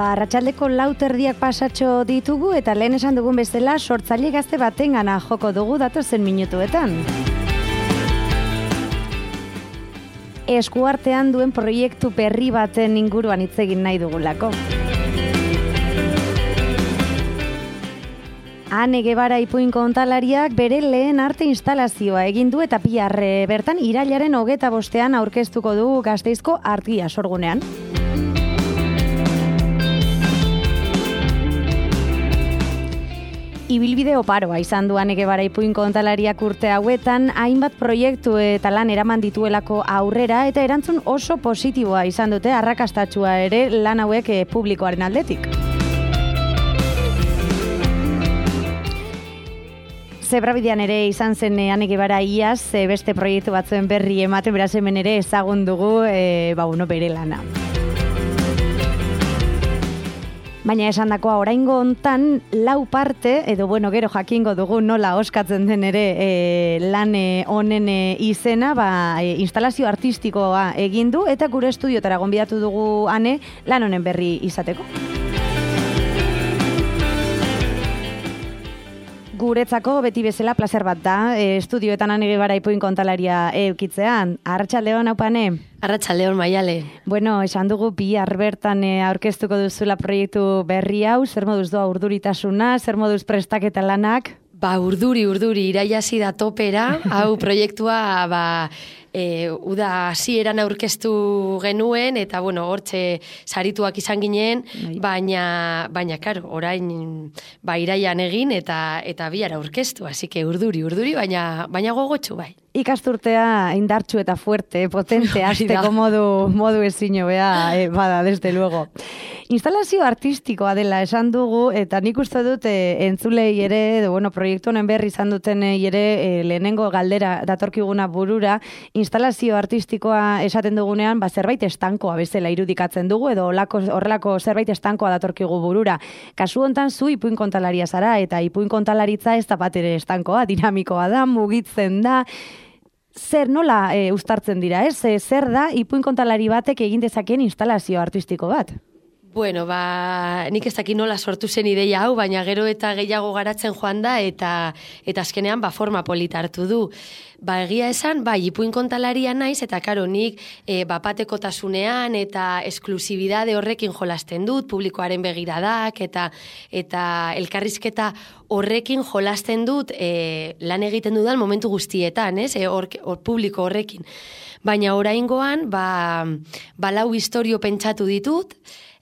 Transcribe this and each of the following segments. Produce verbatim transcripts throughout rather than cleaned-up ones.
Ba, arratsaldeko lau terdiak pasatxo ditugu eta lehen esan dugun bezala sortzaile gazte batengana joko dugu datozen minutuetan. Eskuartean duen proiektu berri baten inguruan hitz egin nahi dugulako. Ane Guevara ipuin kontalariak bere lehen arte instalazioa egin du eta bihar bertan irailaren hogeta bostean aurkeztuko du Gasteizko Argia sorgunean. Ibilbide oparoa izan du Ane Guevara ipuin kontalariak urte hauetan, hainbat proiektu eta lan eraman dituelako aurrera eta erantzun oso positiboa izan dute arrakastatsua ere lan hauek publikoaren aldetik. Zebrabidean ere izan zen Ane Guevara iaz, beste proiektu batzuen berri ematen, beraz hemen ere ezagun dugu e, ba, uno, bere lana. Baina esan dakoa oraingo hontan lau parte, edo bueno, gero jakingo dugu nola oskatzen den ere e, lan honen e, izena, ba, e, instalazio artistikoa egin du eta gure estudiotara gonbidatu dugu Ane lan honen berri izateko. Guretzako beti bezala plazer bat da, e, estudioetan Ane Guevara ipuin kontalaria eukitzean. Arratsaldeon Aupane. Arratsaldeon Maiale. Bueno, esan dugu bihar bertan e, aurkeztuko duzula proiektu berri hau, zer moduz doa urduritasuna, zer moduz prestaketa lanak? Ba, urduri, urduri, iraia hasi da topera, hau proiektua, ba, e, uda hasieran aurkeztu genuen, eta, bueno, hortxe sarituak izan ginen, baina, baina, karo, orain, ba, iraian egin, eta eta bihar aurkeztu, así que urduri, urduri, baina, baina gogotsu, bai. Ikasturtea indartsu eta fuerte, potente, hasteko modu, modu ezin hobea, e, bada, desde luego. Instalazio artistikoa dela esan dugu, eta nik uste dut e, entzulei ere, edo, bueno, proiektu honen berri izan duten ere e, lehenengo galdera datorkiguna burura, instalazio artistikoa esaten dugunean, ba, zerbait estankoa bezala irudikatzen dugu, edo olako, horrelako zerbait estankoa datorkigu burura. Kasu hontan zu ipuin kontalaria zara, eta ipuin kontalaritza ez da bat ere estankoa, dinamikoa da, mugitzen da. Zer nola e, uztartzen dira, ez? E, zer da ipuin kontalari batek egin dezakeen instalazio artistiko bat? Bueno, ba, nik ez dakit nola sortu zen ideia hau, baina gero eta gehiago garatzen joan da, eta eta azkenean ba, forma polita hartu du. Ba, egia esan, ba, ipuin kontalaria naiz, eta karo, nik e, bapatekotasunean eta esklusibidade horrekin jolasten dut, publikoaren begiradak, eta eta elkarrizketa horrekin jolasten dut e, lan egiten dudan momentu guztietan, ez? E, or, or, publiko horrekin. Baina oraingoan, ba, ba lau istorio pentsatu ditut,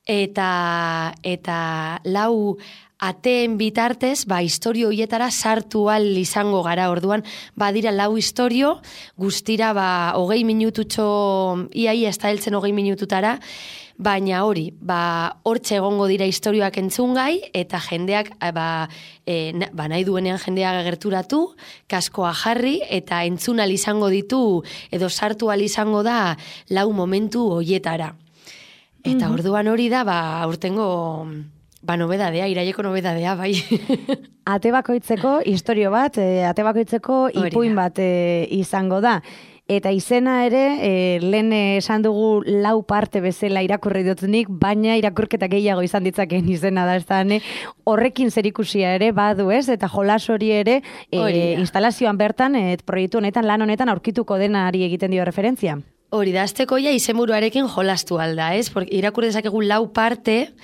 eta eta lau ateen bitartez, ba, istorio hoietara sartu al izango gara. Orduan, badira lau istorio, guztira, ba, hogei minututxo, iaia ez da heltzen hogei minututara, baina hori, ba, hortxe egongo dira istorioak entzungai, eta jendeak, ba, e, na, ba, nahi duenean jendeak agerturatu, kaskoa jarri, eta entzunal izango ditu, edo sartu al izango da, lau momentu hoietara. Eta orduan hori da, ba, aurtengo, ba, nobedadea, iraieko nobedadea, bai. Ate bakoitzeko istorio bat, e, ate bakoitzeko ipuin bat e, izango da. Eta izena ere, e, lehen esan dugu lau parte bezala irakurri dut nik, baina irakurketa gehiago izan ditzakeen izena da, ez da, ne? Horrekin zerikusia ere badu, ez? Eta jolas hori ere e, instalazioan bertan, et, proiektu honetan, lan honetan aurkituko denari egiten dio referentzia. Hori da, azteko ja izenburuarekin jolastu alda, ez? Porque irakur dezakegu lau parte,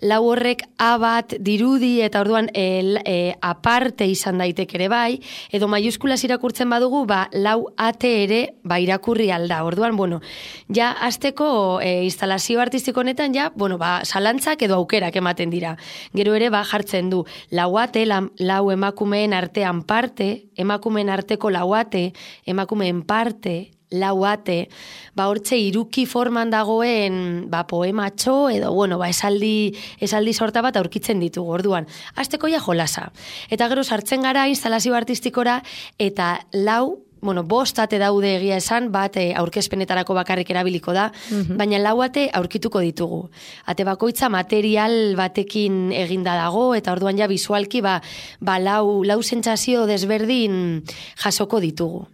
lau horrek A bat dirudi eta orduan e, e, aparte izan daitek ere bai, edo maiuskulas irakurtzen badugu, ba, lau ate ere ba, irakurri alda. Orduan, bueno, ja azteko e, instalazio artistiko honetan, ja, bueno, ba, salantzak edo aukerak ematen dira. Gero ere, ba, jartzen du, lau ate, la, lau emakumeen artean parte, emakumeen arteko lau ate, emakumeen parte, lau ate, ba hortxe iruki forman dagoen ba poematxo edo bueno, ba esaldi esaldi sorta bat aurkitzen ditugu. Orduan, hasteko ja jolasa. Eta gero sartzen gara instalazio artistikora eta lau bueno, bost ate daude egia esan, bat e, aurkezpenetarako bakarrik erabiliko da, mm-hmm. baina lau ate aurkituko ditugu. Ate bakoitza material batekin eginda dago, eta orduan ja visualki ba, ba lau, lau sentsazio desberdin jasoko ditugu.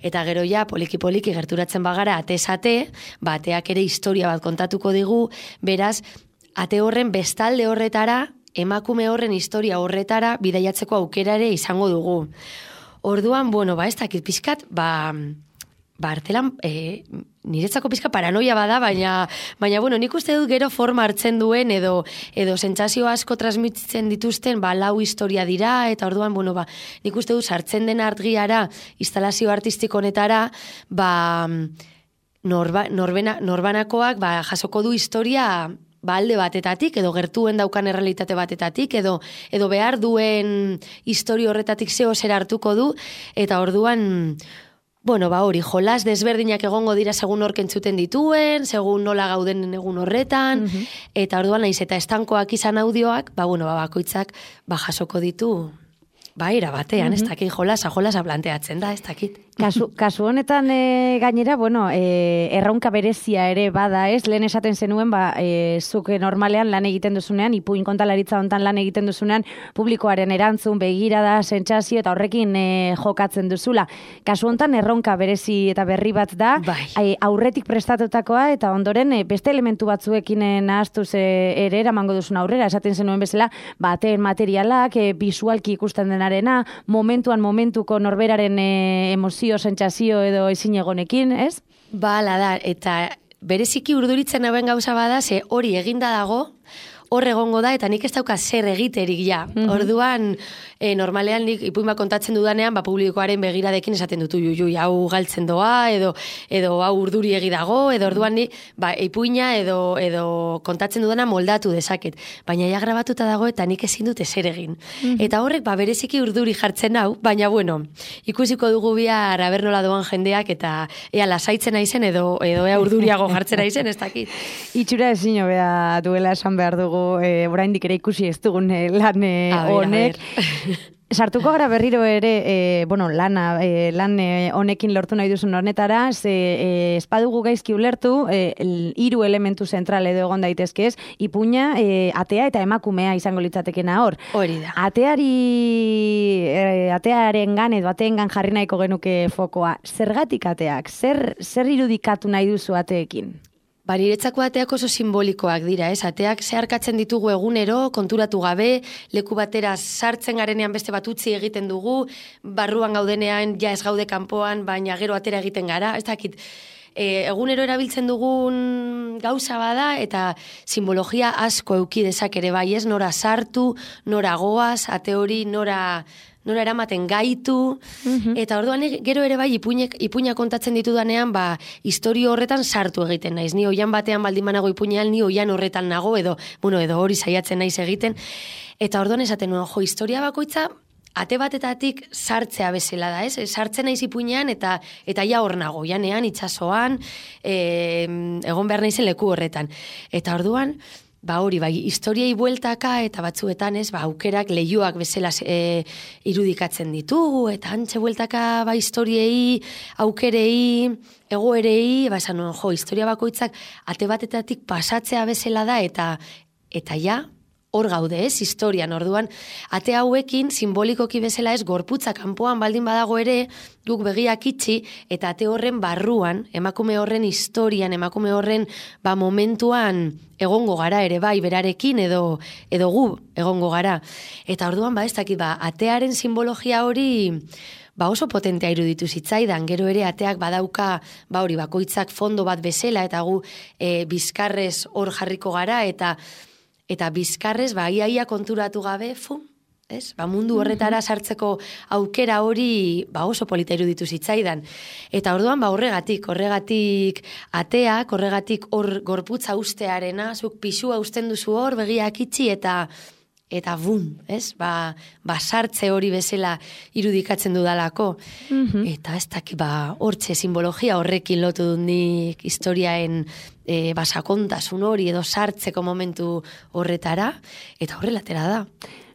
Eta gero ja poliki-poliki gerturatzen bagara atez ate, ba, ateak ere historia bat kontatuko digu, beraz, ate horren bestalde horretara, emakume horren historia horretara bidaiatzeko aukerare izango dugu. Orduan, bueno, ba, ez dakit pizkat, ba, ba artelan, e, niretzako pizka paranoia bada, baina, baina, bueno, nik uste dut gero forma hartzen duen, edo, edo sentsazio asko transmititzen dituzten, ba, lau historia dira, eta orduan, bueno, ba, nik uste dut sartzen den argiara, instalazio artistiko honetara, ba, norba, norbena, norbanakoak, ba, jasoko du historia, ba, alde batetatik, edo gertuen daukan errealitate batetatik, edo, edo behar duen historia horretatik zeo zer hartuko du, eta orduan, bueno, ba hori, jolas desberdinak egongo dira segun hork entzuten dituen, segun nola gauden egun horretan, uh-huh. eta orduan naiz eta estankoak izan audioak, ba, bueno, ba, bakoitzak, ba, jasoko ditu, ba, era batean, uh-huh. ez dakit jolasa, jolasa planteatzen da, ez dakit. Kasu, kasu honetan e, gainera, bueno, e, erronka berezia ere bada, ez? Lehen esaten zenuen, ba, e, zuk normalean lan egiten duzunean, ipuin kontalaritza hontan lan egiten duzunean, publikoaren erantzun, begirada, sentsazio eta horrekin e, jokatzen duzula. Kasu honetan erronka berezi eta berri bat da, bai. e, aurretik prestatutakoa eta ondoren e, beste elementu batzuekin e, nahastuz e, ere eramango duzun aurrera, esaten zenuen bezala, baten materialak, e, visualki ikusten denarena, momentuan momentuko norberaren e, emozio sentsazio edo ezin egonekin, ez? Bala da, eta bereziki urduritzen hauen gauza bada, ze hori eginda dago, hor egongo da, eta nik ez dauka zer egiterik ja. Mm-hmm. Orduan, e, normalean nik ipuin bat kontatzen dudanean, ba, publikoaren begiradekin esaten dutu, ju, ju, hau galtzen doa, edo, edo hau urduri egi dago, edo orduan ni, ba, ipuina edo, edo kontatzen dudana moldatu dezaket. Baina ja grabatuta dago, eta nik ezin dute zer egin. Mm-hmm. Eta horrek, ba, bereziki urduri jartzen hau, baina, bueno, ikusiko dugu bihar aber nola doan jendeak, eta ea lasaitzen naizen, edo, edo ea urduriago jartzen naizen, ez dakit. Itxura ezin hobea duela esan behar dugu, E, oraindik ere ikusi ez dugun e, lan e, honek. Sartuko gara berriro ere, e, bueno, lana, e, lan e, honekin lortu nahi duzun honetara, ze e, espadugu gaizki ulertu, e, hiru elementu zentral edo egon daitezke ez, ipuina, e, atea eta emakumea izango litzatekena hor. Hori da. Ateari, e, atearen gan edo ateen gan jarri nahiko genuke fokoa. Zergatik ateak? Zer, zer irudikatu nahi duzu ateekin? Ba, niretzako ateak oso simbolikoak dira, ez? Ateak zeharkatzen ditugu egunero, konturatu gabe, leku batera sartzen garenean beste bat utzi egiten dugu, barruan gaudenean ja ez gaude kanpoan, baina gero atera egiten gara, ez dakit, e, egunero erabiltzen dugun gauza bada, eta simbologia asko euki dezak ere bai, ez? Nora sartu, nora goaz, ate hori nora... nora eramaten gaitu, mm-hmm. eta orduan gero ere bai ipuinek, ipuina kontatzen ditudanean, ba, historio horretan sartu egiten naiz. Ni oian batean baldin banago ipuinean, ni oian horretan nago, edo, bueno, edo hori saiatzen naiz egiten. Eta orduan esaten nuen, jo, historia bakoitza, ate batetatik sartzea bezala da, ez? Sartzen naiz ipuinean, eta eta ja hor nago, janean, itsasoan, e, egon behar naizen leku horretan. Eta orduan, ba hori, bai, historiei bueltaka eta batzuetan, ez, ba, aukerak leioak bezala e, irudikatzen ditugu, eta antxe bueltaka, ba, historiei, aukerei, egoerei, ba, esan nuen, jo, historia bakoitzak ate batetatik pasatzea bezala da, eta eta ja, hor gaude, ez, historian, orduan, ate hauekin, simbolikoki bezala ez, gorputza kanpoan baldin badago ere, guk begiak itxi, eta ate horren barruan, emakume horren historian, emakume horren, ba, momentuan egongo gara ere bai, berarekin, edo, edo gu egongo gara. Eta orduan, ba, ez dakit, ba, atearen simbologia hori, ba, oso potentea iruditu zitzaidan, gero ere ateak badauka, ba, hori, bakoitzak fondo bat bezala, eta gu e, bizkarrez hor jarriko gara, eta Eta bizkarrez, ba, iaia konturatu gabe, fu, ez? Ba, mundu horretara sartzeko aukera hori, ba, oso polita iruditu zitzaidan. Eta orduan, ba, horregatik, horregatik ateak, horregatik hor gorputza ustearena, zuk pisua usten duzu hor, begiak itxi, eta eta bum, ez? Ba, ba sartze hori bezala irudikatzen dudalako. Mm-hmm. Eta ez dakit, ba, hortxe simbologia horrekin lotu dut nik historiaen e, basakontasun hori edo sartzeko momentu horretara, eta horrelatera da.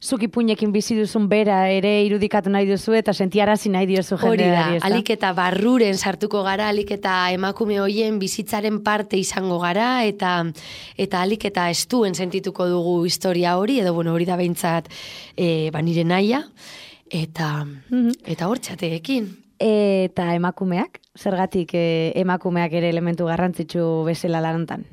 Zuk ipuinekin bizi duzun bera ere irudikatu nahi duzu eta sentiarazi nahi diozu jendeari. Hori da, alik eta barruren sartuko gara, alik eta emakume hoien bizitzaren parte izango gara, eta eta alik eta estuen sentituko dugu historia hori, edo bueno, hori da behintzat e, ba, nire naia, eta, mm-hmm. eta hortxateekin. Eta emakumeak? Zergatik e, emakumeak ere elementu garrantzitsu bezala lantan?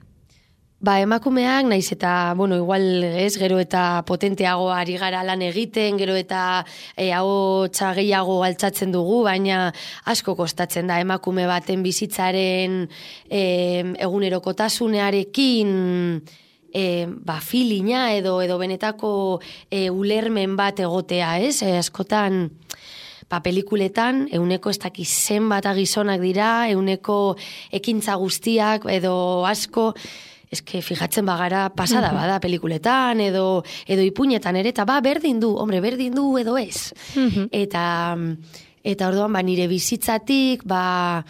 Ba, emakumeak, naiz eta, bueno, igual ez, gero eta potenteago ari gara lan egiten, gero eta e, ahotsa gehiago altzatzen dugu, baina asko kostatzen da emakume baten bizitzaren e, egunerokotasunearekin e, ba, filina edo edo benetako e, ulermen bat egotea, ez? E, askotan... Ba, pelikuletan, euneko ez dakiz zenbat gizonak dira, euneko ekintza guztiak edo asko, eske fijatzen bagara pasada bada pelikuletan edo edo ipuinetan ere, eta ba, berdin du, hombre, berdin du edo ez. eta, eta orduan, ba, nire bizitzatik, ba,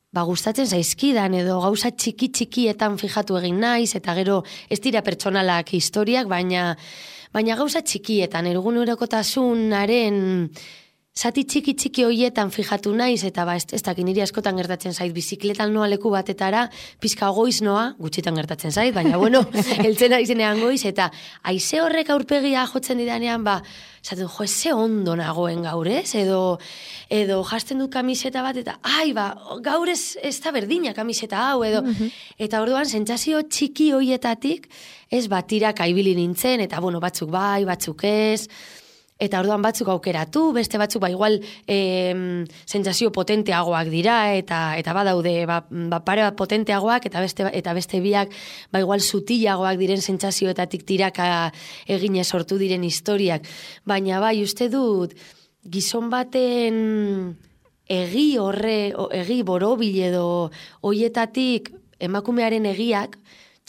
ba, gustatzen zaizkidan edo gauza txiki-txikietan fijatu egin naiz, eta gero ez dira pertsonalak historiak, baina, baina gauza txikietan, egunerokotasunaren... Zati txiki txiki hoietan fijatu naiz, eta ba, ez, ez dakin niri askotan gertatzen zait, bizikletan noa leku batetara, pizka goiz noa, gutxitan gertatzen zait, baina bueno, eltzen aizenean goiz, eta haize horrek aurpegia jotzen didanean, ba, zaten, jo, ze ondo nagoen gaur, ez? Edo, edo jasten dut kamiseta bat, eta, ai, ba, gaur ez, ez da berdina kamiseta hau, edo, eta orduan, sentsazio txiki hoietatik, ez batirak aibili nintzen, eta, bueno, batzuk bai, batzuk ez, eta orduan batzuk aukeratu, beste batzuk ba igual e, sentsazio potenteagoak dira, eta eta badaude ba, ba pare bat potenteagoak, eta beste eta beste biak ba igual sutilagoak diren sentsazioetatik tiraka egine sortu diren historiak. Baina bai, uste dut, gizon baten egi horre, egi borobil edo hoietatik emakumearen egiak,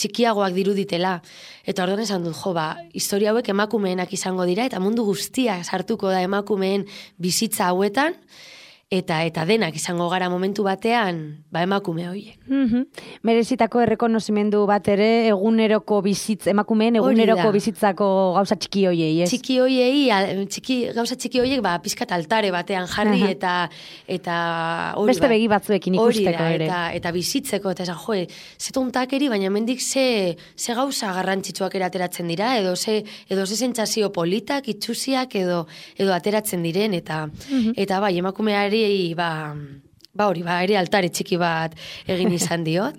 txikiagoak diruditela. Eta orduan esan dut, jo, ba, historia hauek emakumeenak izango dira, eta mundu guztia sartuko da emakumeen bizitza hauetan, eta eta denak izango gara momentu batean, ba, emakume horiek. Mm-hmm. Merezitako errekonozimendu bat ere, eguneroko bizitz, emakumeen eguneroko bizitzako gauza txiki hoiei, ez? Txiki hoiei, txiki, gauza txiki hoiek, ba, pizkat altare batean jarri, uh-huh. eta eta hori, beste begi batzuekin ikusteko da, ere. Eta, eta bizitzeko, eta esan, joe, ze tontakeri, baina mendik ze, ze gauza garrantzitsuak erateratzen dira, edo ze, edo ze sentsazio politak, itxusiak, edo, edo ateratzen diren, eta, uh-huh. eta bai, emakumeari ba, ba hori, ba, ere altare txiki bat egin izan diot,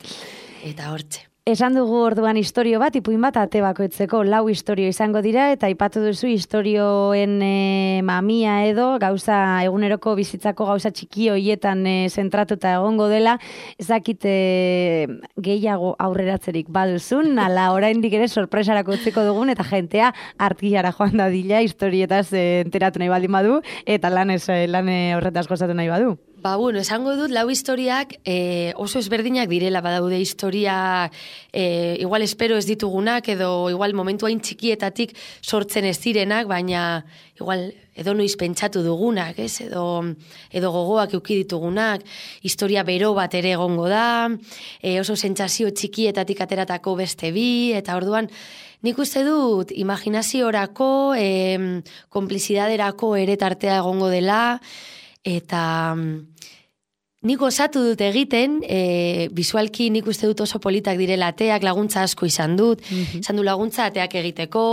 eta hortxe. Esan dugu orduan historio bat, ipuin bat ate bakoitzeko lau historio izango dira, eta aipatu duzu historioen e, mamia edo, gauza eguneroko bizitzako gauza txiki hoietan e, zentratuta egongo dela, ezakite gehiago aurreratzerik baduzun, ala oraindik ere sorpresarako utziko dugun, eta jentea artillara joan dadila historietaz e, enteratu nahi baldin badu, eta lan, ez, lan horretaz gozatu nahi badu. Ba, bueno, esango dut, lau historiak e, oso ezberdinak direla, badaude historia, e, igual espero ez ditugunak, edo igual momentu hain txikietatik sortzen ez direnak, baina igual edo noiz pentsatu dugunak, ez? Edo, edo gogoak euki ditugunak, historia bero bat ere egongo da, e, oso sentsazio txikietatik ateratako beste bi, eta orduan, nik uste dut, imaginaziorako, e, konplizidaderako ere tartea egongo dela, eta nik osatu dut egiten, e, visualki nik uste dut oso politak direla ateak, laguntza asko izan dut, mm-hmm. izan du laguntza ateak egiteko,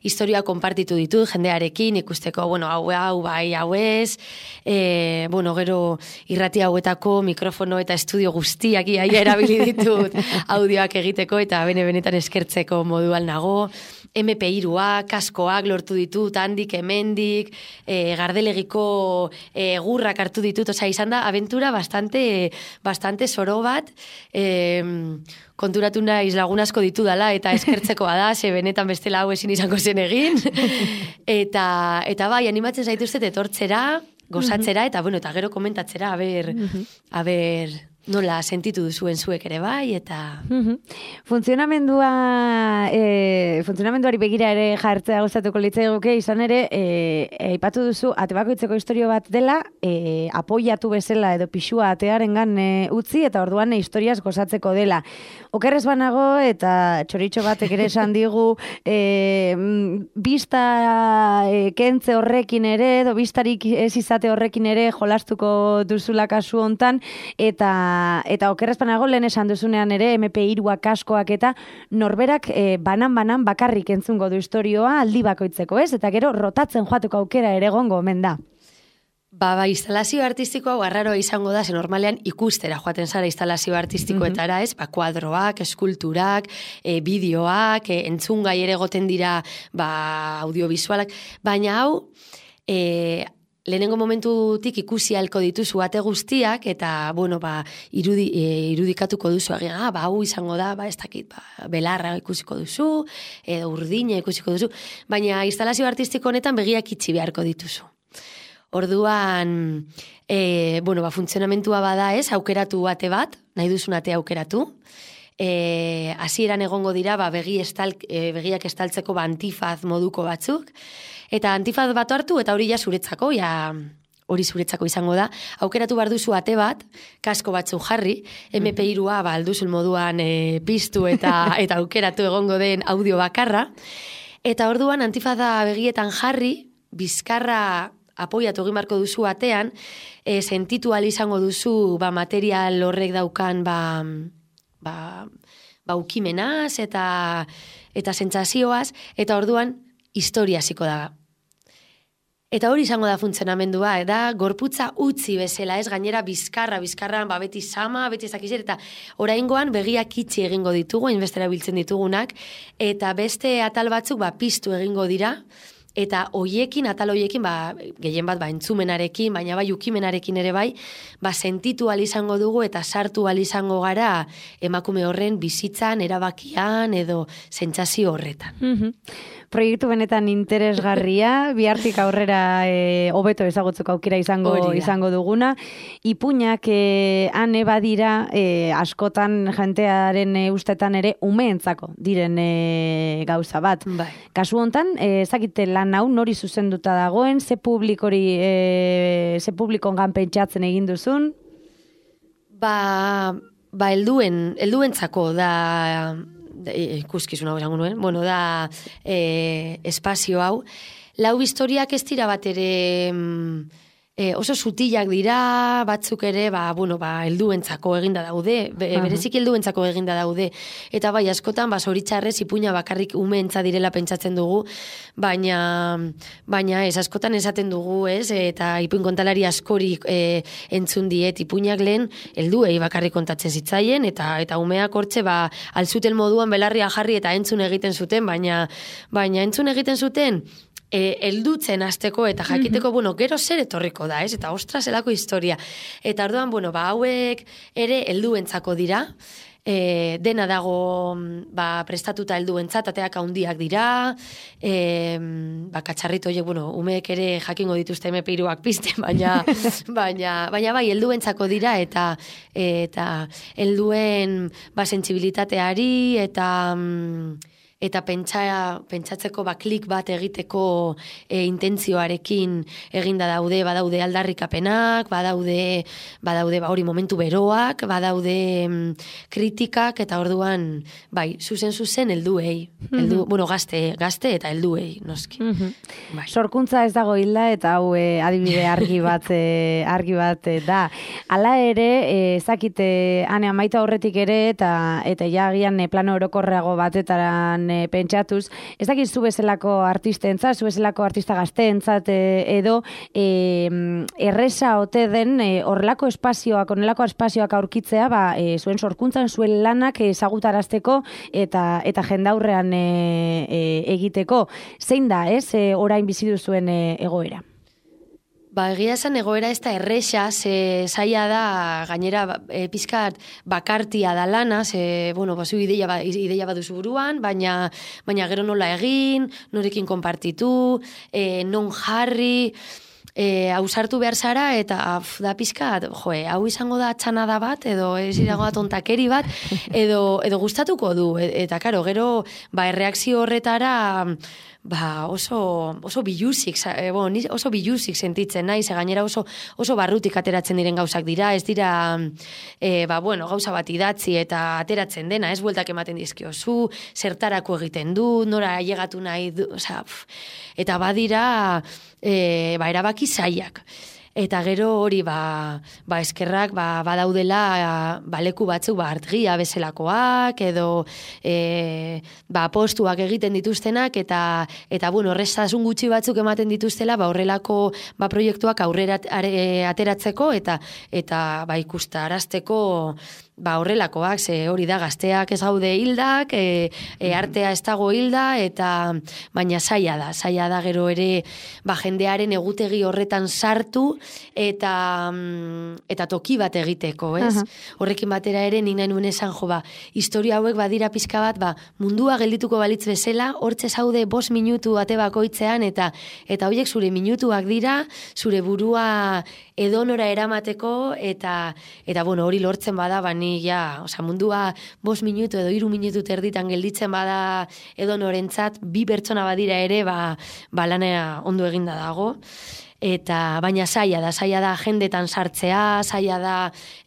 historia konpartitu ditut jendearekin, ikusteko, bueno, hau, hau, bai, hau ez, e, bueno, gero irrati hauetako mikrofono eta estudio guztiak iaia erabili ditut audioak egiteko, eta bene-benetan eskertzeko moduan nago, eme pe hiruak, kaskoak lortu ditut, handik, hemendik, e, gardelegiko e, gurrak hartu ditut, osea, izan da, abentura bastante, bastante zoro bat, e, konturatu naiz lagun asko ditu dala, eta eskertzekoa da, ze benetan bestela hau ezin izango zen egin, eta, eta bai, animatzen zaituztet etortzera, gozatzera, eta bueno, eta gero komentatzera, a ber, a ber, nola sentitu duzuen zuek ere bai, eta... Funtzionamendua, e, funtzionamenduari begira ere jartzea gustatuko litzaiguke, izan ere, aipatu e, duzu, ate bakoitzeko historio bat dela, e, apoiatu bezala edo pixua atearengan e, utzi, eta orduan e, historiaz gozatzeko dela. Okerrez banago, eta txoritxo batek ere esan digu, e, bista e, kentze horrekin ere, edo bistarik ez izate horrekin ere jolastuko duzula kasu hontan, eta eta okerrezpanago lehen esan duzunean ere eme pe hiruak askoak eta norberak e, banan-banan bakarrik entzungo du historioa aldi bakoitzeko, ez? Eta gero rotatzen joateko aukera ere egongo omen da. Ba, ba, instalazio artistikoa arraroa izango da, ze normalean ikustera joaten zara instalazio artistikoetara, ez? Ba, kuadroak, eskulturak, e, bideoak, e, entzungai ere goten dira, ba, audiovisualak, baina hau, e, lehenengo momentutik ikusi halko dituzu ate guztiak, eta, bueno, ba, irudi, e, irudikatuko duzu, agian, ah, ba, hau izango da, ba, ez dakit, ba, belarra ikusiko duzu, edo urdina ikusiko duzu, baina instalazio artistiko honetan begiak itxi beharko dituzu. Orduan, e, bueno, ba, funtzionamentua bada ez, aukeratu ate bat, nahi duzun ate aukeratu. E, hasieran egongo dira, ba, begi estal, e, begiak estaltzeko ba, antifaz moduko batzuk. Eta antifaz bat hartu, eta hori ja zuretzako, ja hori zuretzako izango da. Aukeratu behar duzu ate bat, kasko batzu jarri, eme pe hirua ba, alduzun moduan e, piztu eta, eta aukeratu egongo den audio bakarra. Eta orduan antifaza begietan jarri, bizkarra apoiatu egin barko duzu atean, e, sentitu ahal izango duzu ba, material horrek daukan ba, ba, ba ukimenaz eta, eta sentsazioaz, eta orduan historia hasiko da. Eta hori izango da funtzionamendua, da gorputza utzi bezala, ez gainera bizkarra, bizkarran ba, beti sama, beti ez dakizer, eta oraingoan begiak itxi egingo ditugu, hainbestera biltzen ditugunak, eta beste atal batzuk ba, piztu egingo dira, eta hoiekin, atal hoiekin, ba, gehien bat, ba, entzumenarekin, baina bai ukimenarekin ere bai, ba, sentitu ahal izango dugu eta sartu ahal izango gara emakume horren bizitzan, erabakian edo sentsazio horretan. Mm-hmm. Proiektu benetan interesgarria, bihartik aurrera e, hobeto ezagutzeko aukera izango izango duguna. Ipuinak e, ane badira e, askotan jentearen e, ustetan ere umeentzako diren e, gauza bat. Bai. Kasu hontan, e, ezakite lan hau nori zuzenduta dagoen, ze publikori, e, ze publikongan pentsatzen egin duzun? Ba, ba helduen, helduentzako da ikuskizun hau esango nuen, bueno, da e, espazio hau. Lau historiak ez dira bat ere e, oso sutilak dira, batzuk ere, ba, bueno, ba, helduentzako eginda daude, be, berezik helduentzako eginda daude, eta bai, askotan, ba, zoritxarrez, ipuina bakarrik umeentza direla pentsatzen dugu, baina, baina ez, askotan esaten dugu, ez, eta ipuin kontalari askorik e, entzun diet, ipuinak lehen, helduei bakarrik kontatzen zitzaien, eta eta umeak hortxe, ba, alzuten moduan belarria jarri eta entzun egiten zuten, baina, baina entzun egiten zuten, E, eldutzen azteko eta jakiteko, mm-hmm. bueno, gero zer etorriko da, ez? Eta ostra zelako historia. Eta orduan, bueno, ba, hauek ere helduentzako dira, e, dena dago ba, prestatuta helduentzat, ateak handiak dira, e, ba, katxarrito horiek, bueno, umeek ere jakingo dituzte eme pe hiruak pizten, baina, baina, baina bai, helduentzako dira, eta eta helduen ba, sentsibilitateari, eta... eta pentsa, pentsatzeko ba, klik bat egiteko e, intentzioarekin eginda daude, badaude aldarrikapenak, badaude, badaude ba, hori momentu beroak, badaude mm, kritikak, eta orduan, bai, zuzen-zuzen helduei, heldu, bueno, gazte, gazte eta helduei, noski. Bai. Sorkuntza ez dago hilda, eta hau e, adibide argi bat, e, argi bat e, da. Hala ere, ezakite, e, ane amaita horretik ere, eta eta jagian e, plano orokorreago batetaran e, pentsatuz, ez dakit zu bezalako artistentzat, zu bezalako artista gazteentzat e, edo e, erresa ote den e, horrelako espazioak, horrelako espazioak aurkitzea, ba, e, zuen sorkuntzan, zuen lanak ezagutarazteko eta eta jendaurrean e, e, egiteko. Zein da, ez, e, orain bizi duzuen e, egoera? Ba, egia esan egoera ez da erresa, ze zaila da, gainera e, pizkat bakartia da lana, ze, bueno, bazu ideia, ba, ideia baduzu buruan, baina, baina gero nola egin, norekin konpartitu, e, non jarri, e, ausartu behar zara, eta af, da pizkat, joe, hau izango da txanada bat, edo ez izango da tontakeri bat, edo, edo gustatuko du, eta karo, gero, ba, erreakzio horretara, ba, oso, oso biluzik, e, bon, oso biluzik sentitzen nahi, ze gainera oso, oso barrutik ateratzen diren gauzak dira, ez dira, e, ba, bueno, gauza bat idatzi eta ateratzen dena, ez bueltak ematen dizkiozu, zertarako egiten du, nora llegatu nahi du, oza, pf, eta badira, e, ba, erabaki zaiak. Eta gero hori ba, ba eskerrak ba, badaudela ba, leku batzuk ba, artgia bezalakoak edo e, ba, postuak egiten dituztenak eta eta bueno, horreztasun gutxi batzuk ematen dituztela ba, horrelako ba, proiektuak aurrera ateratzeko eta eta ba, ikustarazteko ba, horrelakoak, ze hori da gazteak ez gaude hildak, e, e, artea ez dago hilda, eta baina zaila da, zaila da gero ere ba, jendearen egutegi horretan sartu eta eta toki bat egiteko, ez? Uh-huh. Horrekin batera ere nik nahi nuen esan jo, ba, historia hauek badira pixka bat, ba, mundua geldituko balitz bezala, hortze zaude bost minutu bate bakoitzean, eta eta horiek zure minutuak dira, zure burua edonora eramateko, eta eta bueno, hori lortzen bada, bani ja, osea, mundua bost minutu edo hiru minutu terditan gelditzen bada edonorentzat, bi pertsona badira ere, ba, ba lanea ondo eginda dago. Eta baina zaila da, zaila da jendetan sartzea, zaila da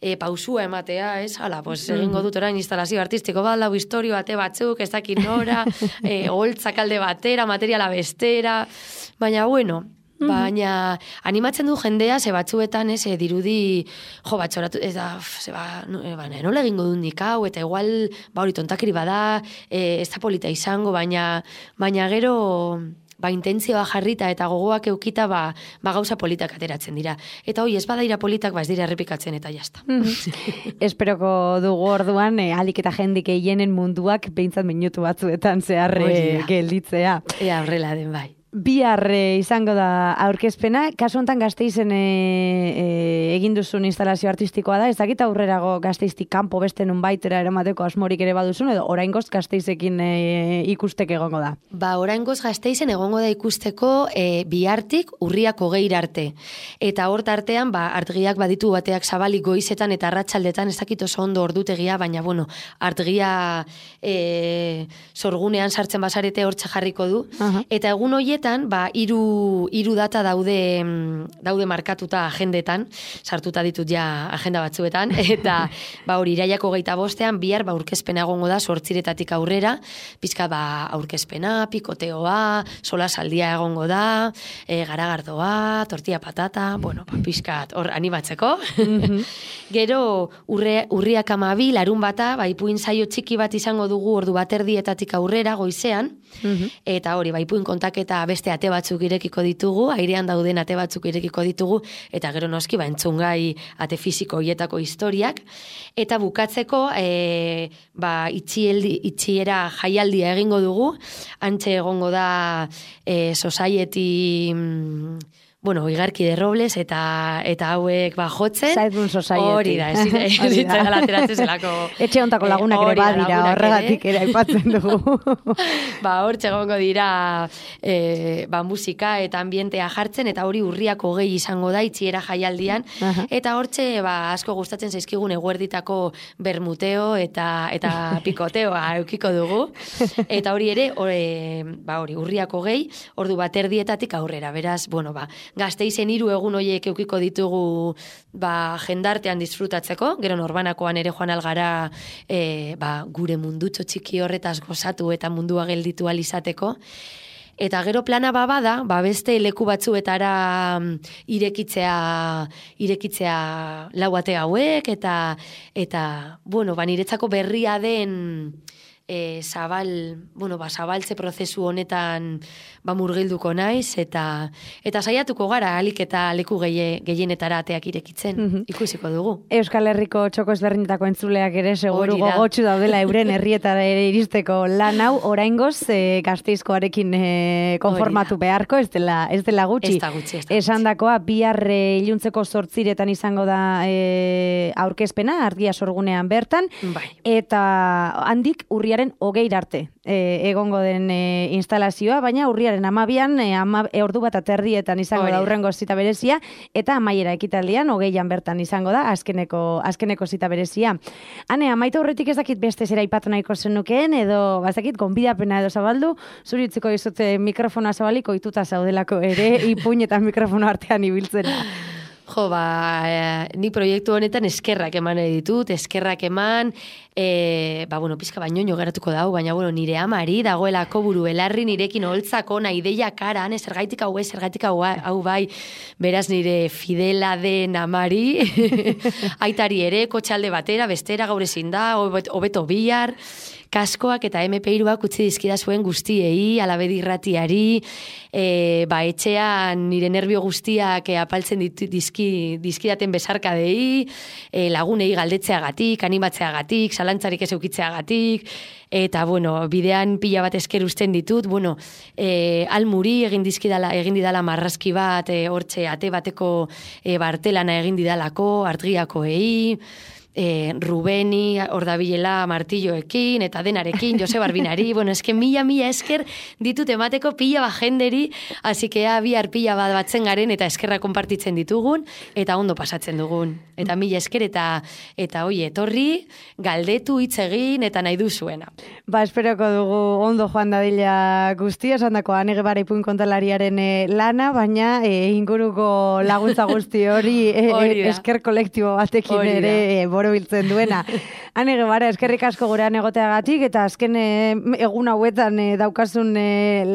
e, pausua ematea, ez? Hala, pues egingo dut orain instalazio artistiko bat, lau historio bate batzuk, ez dakit nora, e, holtzak alde batera, materiala bestera, baina bueno, baina animatzen du jendea, ze batzuetan, ez, e, dirudi, jo, batxoratu, ez da, ze ba, no, e, ba, nola egingo dut nik hau, eta igual, ba, hori tontakiri bada, e, ez da polita izango, baina, baina gero, ba, intentzioa jarrita eta gogoak eukita, ba, ba gauza politak ateratzen dira. Eta hoi, ez badaira politak, ba ez dira errepikatzen eta jazta. Mm-hmm. Esperoko dugu orduan, e, alik eta jendik eienen munduak behintzat minutu batzuetan zeharre gelditzea. Ea, horrela den bai. Bihar e, izango da aurkezpena, kasu honetan Gasteizen e, e, egin duzun instalazio artistikoa da, ez dakit aurrerago Gasteiztik kanpo beste nun baitera eramateko asmorik ere baduzun, edo oraingoz Gasteizekin e, ikusteke egongo da? Ba, oraingoz Gasteizen egongo da ikusteko e, bihartik urriak hogeira arte. Eta hort artean, ba, artgiak baditu bateak zabalik goizetan eta arratsaldetan, ez dakit oso ondo ordutegia, baina, bueno, artgia e, sorgunean sartzen basarete hortxe jarriko du. Uh-huh. Eta egun hoiet ba, hiru hiru data daude daude markatuta agendetan, sartuta ditut ja agenda batzuetan, eta ba hori iraiako hogeita bostean bihar ba aurkezpena egongo da zortziretatik aurrera, pizka ba aurkezpena, pikoteoa, solasaldia egongo da, e, garagardoa, tortilla patata, bueno, ba pizkat hor animatzeko. Mm-hmm. Gero urre, urriak hamabi, larun bata, ba ipuin saio txiki bat izango dugu ordu baterdietatik aurrera goizean, mm-hmm. eta hori ba ipuin kontaketa beste ate batzuk irekiko ditugu, airean dauden ate batzuk irekiko ditugu, eta gero noski ba entzungai ate fisiko hietako historiak, eta bukatzeko e, ba itxieldi, itxiera jaialdia egingo dugu, antxe egongo da e, Society bueno, Igarki de Robles eta eta hauek ba jotzen. Zaitun Society. Hori da, ez da lateratzen zelako. Etxe hontako lagunak ere badira, horregatik ere aipatzen dugu. Ba, hortxe egongo dira e, ba, musika eta ambientea jartzen, eta hori urriak hogei izango da, itxiera jaialdian, uh-huh. eta hortxe ba, asko gustatzen zaizkigun eguerditako bermuteo eta eta pikoteoa eukiko dugu. Eta hori ere, ore, ba, hori urriak hogei, ordu baterdietatik aurrera, beraz, bueno, ba, Gasteizen hiru egun hoiek eukiko ditugu ba, jendartean disfrutatzeko, gero norbanakoan ere joan algara e, ba, gure mundutxo txiki horretaz gozatu eta mundua gelditu alizateko. Eta gero plana babada, ba beste leku batzuetara irekitzea, irekitzea lau ate hauek, eta, eta bueno, ba, niretzako berria den E, zabal, bueno, ba, zabaltze prozesu honetan ba, murgilduko naiz, eta eta saiatuko gara alik eta leku geie, gehienetara ateak irekitzen, mm-hmm. ikusiko dugu. Euskal Herriko txoko ezberdinetako entzuleak ere seguru gogotsu daudela euren herrietara ere iristeko lan hau, oraingoz e, Gasteizkoarekin e, konformatu beharko, ez dela, ez dela gutxi. Ez da gutxi, ez da gutxi. Esandakoa, bihar e, iluntzeko zortziretan izango da e, aurkezpena, argia sorgunean bertan, bai. Eta handik urria hogeir arte e, egongo den e, instalazioa, baina urriaren amabian e, ama, e, ordu bat aterdietan izango da urrengo zita berezia, eta amaiera ekitaldian hogeian bertan izango da azkeneko, azkeneko zita berezia. Hane, amaita horretik ez dakit beste zera ipatu nahiko zenukeen, edo bazakit gonbidapena edo zabaldu, zuri utziko dizute mikrofonoa zabaliko ituta zaudelako ere, ipuin eta mikrofono artean ibiltzena. Jo, ba, e, ni proiektu honetan eskerrak eman ditut, eskerrak eman, e, ba, bueno, pizka baino geratuko dau, baina, bueno, nire amari dagoelako buru belarri nirekin holtzako, nahi deia karan, zergaitik hau, zergaitik hau, hau bai, beraz nire fidela den amari, aitari ere, kotxalde batera, bestera, gaur ezin da, hobeto bihar, kaskoak eta eme pe hiruak utzi dizkida zuen guztiei, alabedi irratiari, e, ba, etxean nire nervio guztiak e, apaltzen ditu, dizki, dizkidaten besarkadei, e, lagunei galdetzeagatik, animatzeagatik, zalantzarik ez eukitzeagatik, eta, bueno, bidean pila bat esker usten ditut, bueno, e, almuri egin dizkidala, egin didala marrazki bat, e, hortxe ate bateko e, bartelana egin didalako, artgiakoei, E, Rubeni, ordabilela martilloekin, eta denarekin, Jose Barbinari, bueno, eske mila, mila esker ditut emateko pila bat jenderi, hasi que bihar pila bat batzen garen, eta eskerra konpartitzen ditugun, eta ondo pasatzen dugun. Eta mila esker, eta, eta oi, etorri, galdetu, hitz egin, eta nahi duzuena. Ba, esperoko dugu ondo joan dadila guztia, esan dako, anege bara ipuin kontalariaren e, lana, baina e, inguruko laguntza guzti hori e, e, esker kolektibo batekin hori ere e, biltzen duena. Hane gebara, eskerrik asko gurean egoteagatik, eta azken e, egun hauetan e, daukasun e,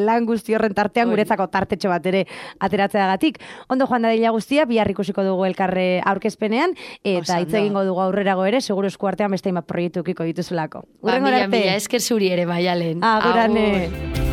lan guzti horren tartean Oi. Guretzako tartetxo bat ere ateratzeagatik. Ondo joan dadila guztia, bihar ikusiko dugu elkarre aurkezpenean, eta hitz egingo dugu aurrerago ere, seguro esku artean beste hainbat proiektu ukiko dituzulako. Ba, mila, mila, esker zuri ere, Maialen. Agurane.